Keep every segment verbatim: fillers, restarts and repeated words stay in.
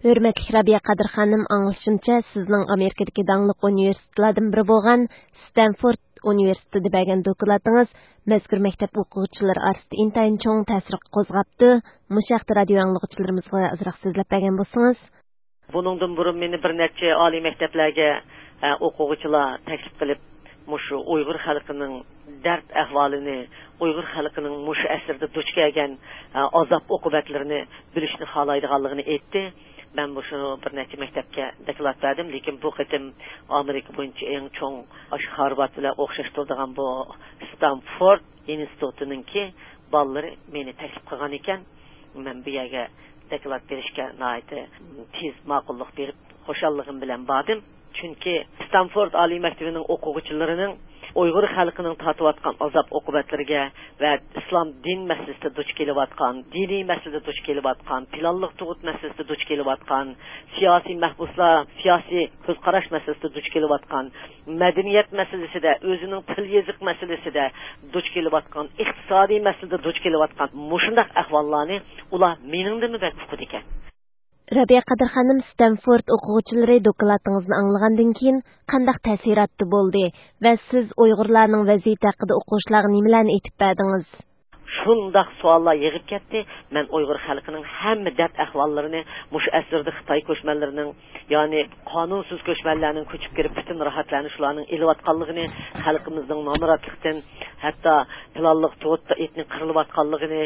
ھۆرمەتلىك رابىيە قادىر خانىم، ئاڭلىشىمچە، سىزنىڭ ئامېرىكىدىكى داڭلىق ئۇنىۋېرسىتېتلاردىن بىرى بولغان ستەنفورد ئۇنىۋېرسىتېتىدا بەرگەن دوكلاتىڭىز مەزكۇر مەكتەپ ئوقۇغۇچىلىرى ئارىسىدا ئىنتايىن چوڭ تەسىر قوزغاپتۇ. مۇشۇ ھەقتە رادىيو ئاڭلىغۇچىلىرىمىزغا ئازراق سۆزلەپ بەرگەن بولسىڭىز. بۇنىڭدىن بۇرۇن مېنى بىر نەچچە ئالىي مەكتەپلەرگە، ئە، ئوقۇغۇچىلار تەكلىپ قىلىپ، مۇشۇ ئۇيغۇر خەلقىنىڭ دەرد ئەھۋالىنى، ئۇيغۇر خەلقىنىڭ مۇشۇ ئەسىردە دۇچ كەلگەن، ئە، ئازاب ئوقۇبەتلىرىنى بىلىشنى خالايدىغانلىقىنى ئېيتتى. مەن مۇشۇ بىر نەچچە مەكتەپكە دوكلات بەردىم، لېكىن بۇ قېتىم ئامېرىكا بويىچە ئەڭ چوڭ، ئاشۇ خارۋارد بىلەن ئوخشاش تۇرىدىغان بۇ ستانفورد ئىنستىتۇتىنىڭكى بالىلىرى مېنى تەكلىپ قىلغان ئىكەن. مەن بۇ يەرگە دوكلات بېرىشكە ناھايىتى تېز ماقۇللۇق بېرىپ، خۇشاللىقىم بىلەن باردىم. چۈنكى ستانفورد ئالىي مەكتىپىنىڭ ئوقۇغۇچىلىرىنىڭ ئۇيغۇر خەلقىنىڭ تارتىۋاتقان ئازاب ئوقۇبەتلىرىگە ۋە ئىسلام دىن مەسىلىسىدە دۇچ كېلىۋاتقان، دىنىي مەسىلىدە دۇچ كېلىۋاتقان، پىلانلىق تۇغۇت مەسىلىسىدە دۇچ كېلىۋاتقان، سىياسىي مەھبۇسلار، سىياسىي كۆز قاراش مەسىلىسىدە دۇچ كېلىۋاتقان، مەدەنىيەت مەسىلىسىدە، ئۆزىنىڭ تىل يېزىق مەسىلىسىدە دۇچ كېلىۋاتقان، ئىقتىسادىي مەسىلىدە دۇچ كېلىۋاتقان مۇشۇنداق ئەھۋاللارنى ئۇلار مېنىڭدىنمۇ بەك ئۇقىدىكەن. رابىيە قادىر خانىم، ستەنفورد ئوقۇغۇچىلىرى دوكلاتىڭىزنى ئاڭلىغاندىن كېيىن قانداق تەسىراتتا بولدى ۋە سىز ئۇيغۇرلارنىڭ ۋەزىيىتى ھەققىدە ئوقۇغۇچىلارغا نېمىلەرنى ئېيتىپ بەردىڭىز؟ شۇنداق سوئاللار يېغىپ كەتتى. مەن ئۇيغۇر خەلقىنىڭ ھەممە دەرد ئەھۋاللىرىنى، مۇشۇ ئەسىردە خىتاي كۆچمەنلىرىنىڭ، يەنى قانۇنسىز كۆچمەنلەرنىڭ كۆچۈپ كىرىپ، پۈتۈن راھەتلەرنى شۇلارنىڭ ئېلىۋاتقانلىقىنى، خەلقىمىزنىڭ نامراتلىقتىن، ھەتتا پىلانلىق تۇغۇتتا ئېتنىك قىرىلىۋاتقانلىقىنى،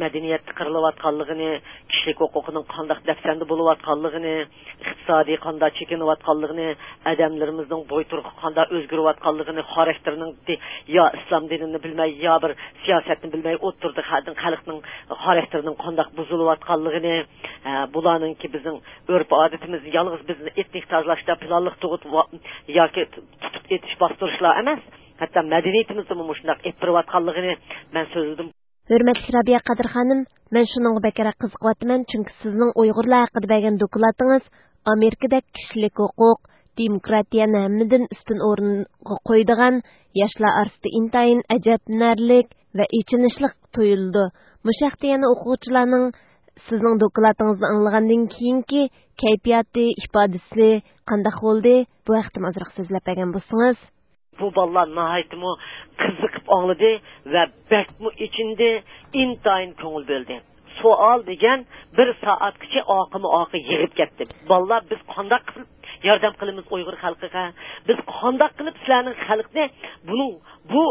مەدەنىيەتتە قىرىلىۋاتقانلىقىنى، كىشىلىك ھوقۇقىنىڭ قانداق دەپسەندە بولۇۋاتقانلىقىنى، ئىقتىسادىي قانداق چېكىنىۋاتقانلىقىنى، ئادەملىرىمىزنىڭ بوي تۇرقى قانداق ئۆزگىرىۋاتقانلىقىنى، خاراكتېرىنىڭ دى-، يا ئىسلام دىنىنى بىلمەي، يا بىر سىياسەتنى بىلمەي ئوتتۇرىدا خەلقنىڭ، خەلقنىڭ خاراكتېرىنىڭ قانداق بۇزۇلۇۋاتقانلىقىنى، ھە، بۇلارنىڭكى بىزنىڭ ئۆرپ-ئادىتىمىز يالغۇز بىزنى ئېتنىك تازىلاشتا پىلانلىق تۇغۇت ۋا-، ياكى تۇتۇپ ئېتىش، باستۇرۇشلار ئەمەس، ھەتتا مەدەنىيىتىمىزدىمۇ مۇشۇنداق ئېلىپ بېرىۋاتقانلىقىنى مەن سۆزلىدىم. ھۆرمەتلىك رابىيە قادىر خانىم، مەن شۇنىڭغا بەكرەك قىزىقىۋاتىمەن، چۈنكى سىزنىڭ ئۇيغۇرلار ھەققىدە بەرگەن دوكلاتىڭىز ئامېرىكىدەك كىشىلىك ھوقۇق، دېموكراتىيەنى ھەممىدىن ئۈستۈن ئورۇنغا قويىدىغان، ياشلار ئارىسىدا ئىنتايىن ئەجەبلىنەرلىك ۋە ئېچىنىشلىق تۇيۇلىدۇ. مۇشۇ ھەقتە يەنە ئوقۇغۇچىلارنىڭ سىزنىڭ دوكلاتىڭىزنى ئاڭلىغاندىن كېيىنكى كەيپىياتى، ئىپادىسى قانداق بولدى؟ بۇ ھەقتىمۇ ئازراق سۆزلەپ بەرگەن بولسىڭىز. بۇ بالىلار ناھايىتىمۇ قىزىقىپ ئاڭلىدى ۋە بەكمۇ ئېچىندى، ئىنتايىن كۆڭۈل بۆلدى. سوئال دېگەن بىر سائەتكىچە ئاقىمۇ ئاقى يىغىپ كەتتى. بالىلار، بىز قانداق قىلىپ ياردەم قىلىمىز ئۇيغۇر خەلقىگە؟ بىز قانداق قىلىپ سىلەرنىڭ خەلقنى بۇنىڭ، بۇ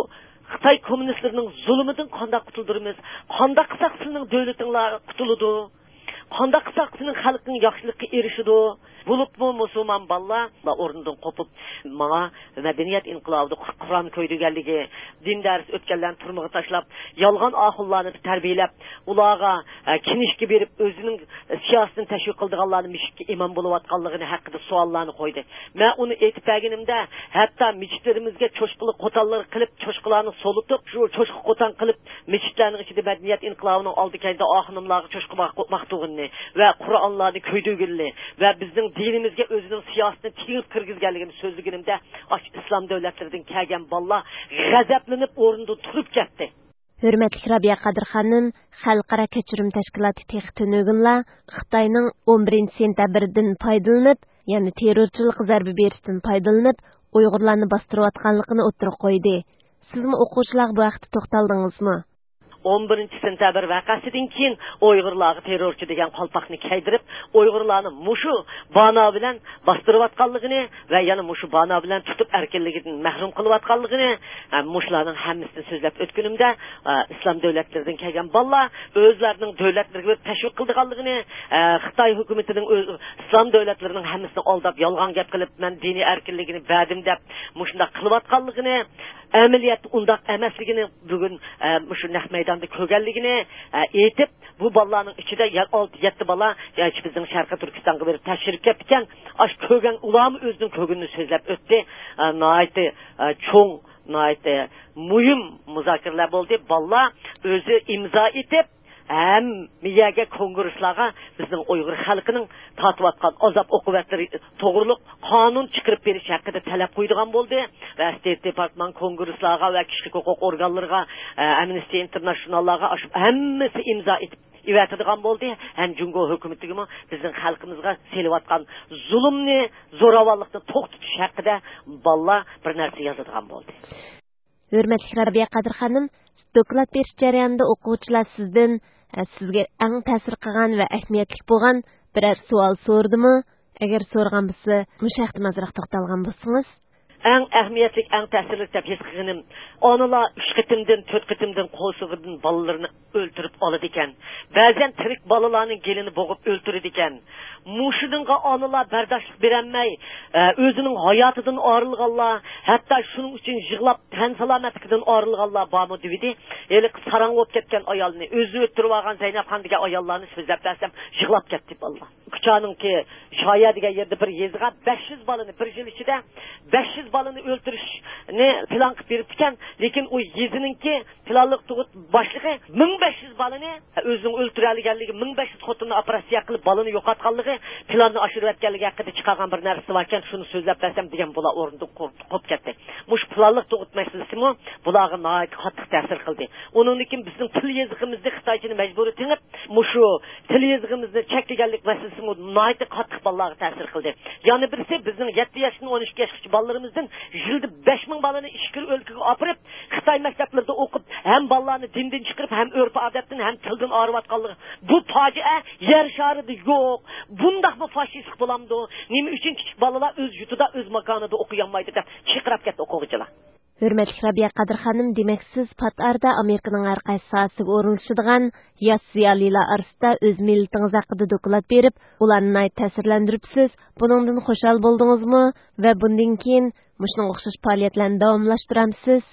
خىتاي كوممۇنىستلىرىنىڭ زۇلۇمىدىن قانداق قۇتۇلدۇرىمىز؟ قانداق قىلساق سېنىڭ دۆلىتىڭلار قۇتۇلىدۇ؟ قانداق قىلساق سېنىڭ خەلقىڭ ياخشىلىققا ئېرىشىدۇ؟ بولۇپمۇ مۇسۇلمان بالىلار ئورنىدىن قوپۇپ، ماڭا مەدەنىيەت ئىنقىلابىدا قۇرئان كۆيدۈرگەنلىكى، دىن دەرس ئۆتكەنلەرنى تۈرمىگە تاشلاپ، يالغان ئاخۇنلارنى تەربىيەلەپ، ئۇلارغا، ئە، كىنىشكا بېرىپ، ئۆزىنىڭ سىياسىتىنى تەشۋىق قىلىدىغانلارنى مەسچىتكە ئىمام بولۇۋاتقانلىقىنى ھەققىدە سوئاللارنى قويدى. مەن ئۇنى ئېيتىپ بەرگىنىمدە، ھەتتا مەسچىتلىرىمىزگە چوشقىلىق قوتانلىرى قىلىپ، چوشقىلارنى سولىتىپ، شۇ چوشقا قوتان قىلىپ، مەسچىتلەرنىڭ ئىچىدە مەدەنىيەت ئىنقىلابىنىڭ ئالدى كەينىدە ئاخۇنۇملارغا چوشقا باق-، باقتۇرغىنىنى ۋە قۇرئانلارنى كۆيدۈرگىنىنى ۋە بىزنىڭ دىنىمىزگە ئۆزىنىڭ سىياسىتىنى تېڭىپ كىرگۈزگەنلىكىنى سۆزلىگىنىمدە، ئاشۇ ئىسلام دۆلەتلىرىدىن كەلگەن بالىلار غەزەپلىنىپ ئورنىدىن تۇرۇپ كەتتى. ھۆرمەتلىك رابىيە قادىر خانىم، خەلقئارا كەچۈرۈم تەشكىلاتى تېخى تۈنۈگۈنلا خىتاينىڭ ئون بىرىنچى سېنتەبىردىن پايدىلىنىپ، يەنى تېررورچىلىققا زەربە بېرىشتىن پايدىلىنىپ، ئۇيغۇرلارنى باستۇرۇۋاتقانلىقىنى ئوتتۇرىغا قويدى. سىزمۇ ئوقۇغۇچىلارغا بۇ ھەقتە توختالدىڭىزمۇ؟ ئون بىرىنچى سېنتەبىر ۋەقەسىدىن كېيىن ئۇيغۇرلارغا تېررورچى دېگەن قالپاقنى كىيدۈرۈپ، ئۇيغۇرلارنى مۇشۇ بانا بىلەن باستۇرۇۋاتقانلىقىنى ۋە يەنە مۇشۇ بانا بىلەن تۇتۇپ ئەركىنلىكىدىن مەھرۇم قىلىۋاتقانلىقىنى، ئە، مۇشۇلارنىڭ ھەممىسىنى سۆزلەپ ئۆتكىنىمدە، ئە، ئىسلام دۆلەتلىرىدىن كەلگەن بالىلار ئۆزلەرنىڭ دۆلەتلىرىگە بېرىپ تەشۋىق قىلىدىغانلىقىنى، ئە، خىتاي ھۆكۈمىتىنىڭ ئۆز-، ئىسلام دۆلەتلىرىنىڭ ھەممىسىنى ئالداپ، يالغان گەپ قىلىپ، مەن دىنىي ئەركىنلىكىنى بەردىم دەپ، مۇشۇنداق قىلىۋاتقانلىقىنى، ئەمەلىيەتتە ئۇنداق ئەمەسلىكىنى بۈگۈن، ئە، مۇشۇ نەق مەيداندا كۆرگەنلىكىنى، ئە، ئېيتىپ، بۇ بالىلارنىڭ ئىچىدە يەنە ئالتە، يەتتە بالا، يەنە بىزنىڭ شەرقىي تۈركىستانغا بېرىپ تەكشۈرۈپ كەپتىكەن. ئاشۇ كۆرگەن، ئۇلارمۇ ئۆزىنىڭ كۆرگىنىنى سۆزلەپ ئۆتتى. ئە، ناھايىتى، ئە، چوڭ، ناھايىتى مۇھىم مۇزاكىرىلەر بولدى. بالىلار ئۆزى ئىمزا ئېتىپ، ھەممە يەرگە، كونگرېسلارغا بىزنىڭ ئۇيغۇر خەلقىنىڭ تارتىۋاتقان ئازاب ئوقۇبەتلىرى توغرۇلۇق قانۇن چىقىرىپ بېرىش ھەققىدە تەلەپ قويىدىغان بولدى ۋە ستېيت دېپارتمان كونگرېسلارغا ۋە كىشىلىك ھوقۇق ئورگانلىرىغا، ئە، ئەمنىستى ئىنتېرناشناللارغا ئاشۇ ھەممىسى ئىمزا ئېتىپ، ئېۋەتىدىغان بولدى ھەم جۇڭگو ھۆكۈمىتىگىمۇ بىزنىڭ خەلقىمىزغا سېلىۋاتقان زۇلۇمنى، زوراۋانلىقنى توختىتىش ھەققىدە بالىلار بىر نەرسە يازىدىغان بولدى. ھۆرمەتلىك رابىيە قادىر خانىم، دوكلات بېرىش جەريانىدا ئوقۇغۇچىلار سىزدىن، ئە، سىزگە ئەڭ تەسىر قىلغان ۋە ئەھمىيەتلىك بولغان بىرەر سوئال سورىدىمۇ؟ ئەگەر سورىغان بولسا، مۇشۇ ھەقتە ئازراق توختالغان بولسىڭىز. ئەڭ ئەھمىيەتلىك، ئەڭ تەسىرلىك دەپ ھېس قىلغىنىم، ئانىلار ئۈچ قېتىمدىن، تۆت قېتىمدىن قورسىقىدىن بالىلىرىنى ئۆلتۈرۈپ ئالىدىكەن. بەزەن تىرىك بالىلارنىڭ گېلىنى بوغۇپ ئۆلتۈرىدىكەن. مۇشۇنىڭغا ئانىلار بەرداشلىق بېرەلمەي، ئە، ئۆزىنىڭ ھاياتىدىن ئايرىلغانلار، ھەتتا شۇنىڭ ئۈچۈن يىغلاپ، تەن سالامەتلىكىدىن ئايرىلغانلار بارمۇ دېۋىدى. ھېلىقى ساراڭ بولۇپ كەتكەن ئايالنى، ئۆزىنى ئۆلتۈرۈۋالغان زەينەپخان دېگەن ئاياللارنى سۆزلەپ بەرسەم، يىغلاپ كەتتى بالىلار. كۇچانىڭكى شايە دېگەن يېرىدە بىر يېزىغا بەش يۈز بالىنى، بىر يىل ئىچىدە بەش يۈز بالىنى ئۆلتۈرۈشنى پىلان قىلىپ بېرىپتىكەن. لېكىن ئۇ يېزىنىڭكى پىلانلىق تۇغۇت باشلىقى مىڭ بەش يۈز بالىنى، ئۆزىنىڭ ئۆلتۈرەلىگەنلىكى، مىڭ بەش يۈز خوتۇننى ئوپېراتسىيە قىلىپ، بالىنى يوقاتقانلىقى، پىلاننى ئاشۇرۇۋەتكەنلىكى ھەققىدە چىقارغان بىر نەرسىسى باركەن، شۇنى سۆزلەپ بەرسەم دېگەن، بۇلار ئورنىدىن قوپ-، قوپۇپ كەتتى. مۇشۇ پىلانلىق تۇغۇت مەسىلىسىمۇ بۇلارغا ناھايىتى قاتتىق تەسىر قىلدى. ئۇنىڭدىن كېيىن بىزنىڭ تىل يېزىقىمىزنى خىتايچىنى مەجبۇرىي تېڭىپ، مۇشۇ تىل يېزىقىمىزنى چەكلىگەنلىك مەسىلىسىمۇ ناھايىتى قاتتىق بالىلارغا تەسىر قىلدى. يەنە بىرسى، بىزنىڭ يەتتە ياشتىن ئون ئىككى ياشقىچە بالىلىرىمىزدىن يىلدا بەش مىڭ بالىنى ئىچكىرى ئۆلكىگە ئاپىرىپ، خىتاي مەكتەپلىرىدە ئوقۇپ، ھەم بالىلارنى دىندىن چىقىرىپ، ھەم ئۆرپ-ئادەتتىن، ھەم تىلدىن ئايرىۋاتقانلىقى، بۇ پاجىئە يەر شارىدا يوق. بۇنداقمۇ فاشىستلىق بولامدۇ؟ نېمە ئۈچۈن كىچىك بالىلار ئۆز يۇرتىدا، ئۆز ماكانىدا ئوقۇيالمايدۇ دەپ چىرقىراپ كەتتى ئوقۇغۇچىلار. ھۆرمەتلىك رابىيە قادىر خانىم، دېمەك، سىز پات ئارىدا ئامېرىكىنىڭ ھەر قايسى ساھەسىگە ئورۇنلىشىدىغان ياش زىيالىيلار ئارىسىدا ئۆز مىللىتىڭىز ھەققىدە دوكلات بېرىپ، ئۇلارنى ناھايىتى تەسىرلەندۈرۈپسىز. بۇنىڭدىن خۇشال بولدىڭىزمۇ؟ ۋە بۇندىن كېيىن مۇشۇنىڭغا ئوخشاش پائالىيەتلەرنى داۋاملاشتۇرامسىز؟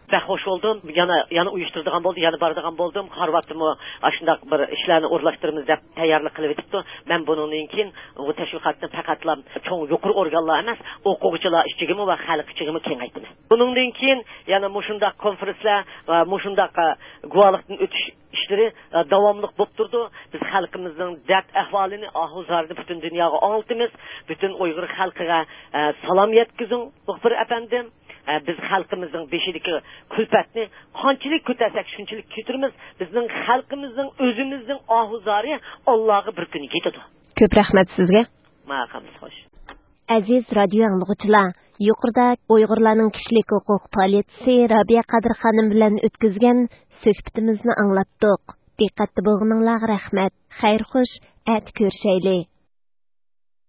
بەك خوش بولدۇم. يەنە، يەنە ئۇيۇشتۇرىدىغان بولدۇم، يەنە بارىدىغان بولدۇم. خارۋاردتىمۇ ئاشۇنداق بىر ئىشلارنى ئورۇنلاشتۇرىمىز دەپ تەييارلىق قىلىۋېتىپتۇ. مەن بۇنىڭدىن كېيىن بۇ تەشۋىقاتنى پەقەتلا چوڭ يۇقىرى ئورگانلار ئەمەس، ئوقۇغۇچىلار ئىچىگىمۇ ۋە خەلق ئىچىگىمۇ كېڭەيتىمەن. بۇنىڭدىن كېيىن يەنە مۇشۇنداق كونفېرېنسلار ۋە مۇشۇنداق، ئە، گۇۋاھلىقتىن ئۆتۈش ئىشلىرى، ئە، داۋاملىق بولۇپ تۇرىدۇ. بىز خەلقىمىزنىڭ دەرد ئەھۋالىنى، ئاھۇ زارىنى پۈتۈن دۇنياغا ئاڭلىتىمىز. پۈتۈن ئۇيغۇر خەلقىگە، ئە، سالام يەتكۈزۈڭ، مۇخبىر ئەپەندىم. ئە، بىز خەلقىمىزنىڭ بېشىدىكى كۈلپەتنى قانچىلىك كۆتەرسەك، شۇنچىلىك كۆتۈرىمىز. بىزنىڭ خەلقىمىزنىڭ ئۆزىمىزنىڭ ئاھۇ زارى ئاللاغا بىر كۈنى يېتىدۇ. كۆپ رەھمەت سىزگە. ماقۇل، خوش. ئەزىز رادىيو ئاڭلىغۇچىلار، يۇقىرىدا ئۇيغۇرلارنىڭ كىشىلىك ھوقۇق پائالىيەتچىسى رابىيە قادىر خانىم بىلەن ئۆتكۈزگەن سۆھبىتىمىزنى ئاڭلاتتۇق. دىققەتتە بولغىنىڭلارغا رەھمەت. خەير خوش، ئەتە كۆرۈشەيلى.